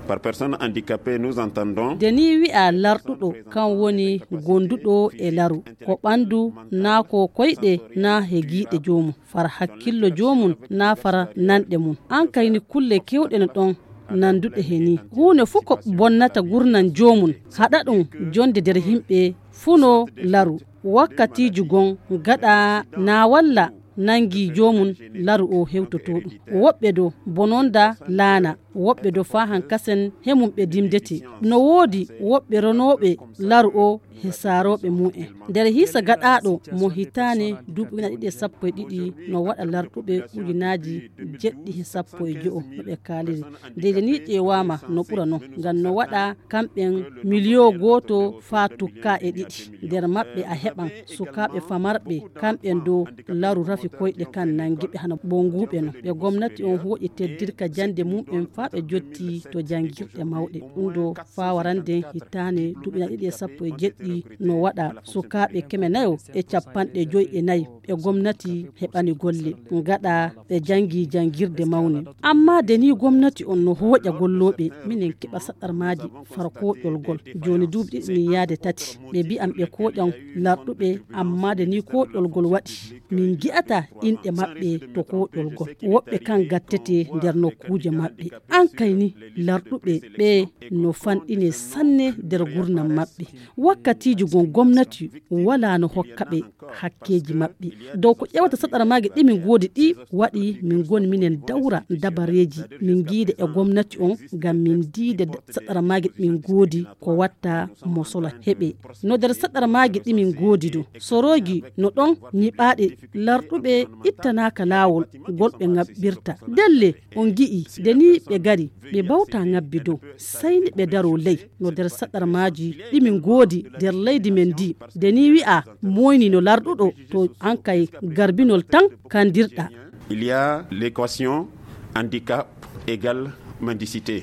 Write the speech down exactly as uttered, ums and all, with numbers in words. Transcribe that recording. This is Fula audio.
Par personne handicapée, nous entendons. Nde ni wi'a larɗuɗo, kan woni gonduɗo e laru, ko ɓandu naa ko koyɗe naa he giiɗe joomum, far hakkillo joomum naa far nanɗe mum. An kayni kulle kewɗe no ɗon nanduɗe he ni. Huunde fuu ko bonnata gurnan joomum, haɗa ɗum jonde nder himɓe fuu no laru. Wakkatiiji gon gaɗa naa walla nangi joomum laru o hewtoto ɗum. Woɓɓe do bononda laana, woɓɓe do faa hankasen he mum ɓe dimdete. No woodi woɓɓe ronooɓe laru o he saarooɓe mu'en. Nder hiisa gaɗaaɗo mo hitaane duuɓi ujunaaji ɗiɗi e sappo e ɗiɗi, no waɗa larɗuɓe ujunaaji jeɗɗi he sappo e jo'o no ɓe kaaliri. Nde ni ƴeewaama no ɓura non, ngam no waɗa kamɓen miliyo gooto faa tukka e ɗiɗi. Nder maɓɓe a heɓan sukaaɓe famarɓe, kamɓen dow laru rafi koyɗe kan nangi ɓe hano bonguuɓe non. Ɓe gomnati on hooƴi teddirka jannde mum'en faa ɓe jotti to janngirɗe mawɗe. Ɗum ɗo faa warande hitaande duuɓi ujunaaji ɗiɗi e sappo e jeɗɗi no waɗa sukaaɓe keme nayo e capanɗe joy e nayi ɓe gomnati heɓani golle, ngaɗa ɓe janngi janngirde mawne. Ammaa nde ni gomnati on no hooƴa gollooɓe, minen keɓa saɗarmaaji far kooƴol gol. Jooni duuɓi ɗiɗi min yaade tati, ɓe mbi'an ɓe kooƴan larɗuɓe, ammaa nde ni kooƴol gol waɗi, min ngi'ata inɗe maɓɓe to kooƴol gol. Woɓɓe kan gattete nder nokkuuje maɓɓe. An kay ni larɗuɓe ɓe no fanɗine sanne nder gurnam maɓɓe. Wakkatiiji gon gomnati walaa no hokka ɓe hakkeeji maɓɓe. Dow ko ƴewata saɗarmaaji ɗi min ngoodi ɗi waɗi min ngoni minen dawra dabareeji min ngiida e gomnati on ngam min ndiida saɗarmaaji ɗi min ngoodi ko watta mo sola heɓe. No nder saɗarmaaji ɗi min ngoodi dow sorooji no ɗon nyiɓaaɗe larɗuɓe ittanaaka laawol ngol ɓe ngaɓɓirta. Ndelle on ngi'i nde ni ɓe ngari ɓe mbawta ngabbi dow, sey ni ɓe daro ley no nder saɗarmaaji ɗi min ngoodi nder leydi men ndi. Nde ni wi'a moyni no larɗuɗo to an kay garbinol tan kandirɗa. Il y a l'équation handicap égale mendicité.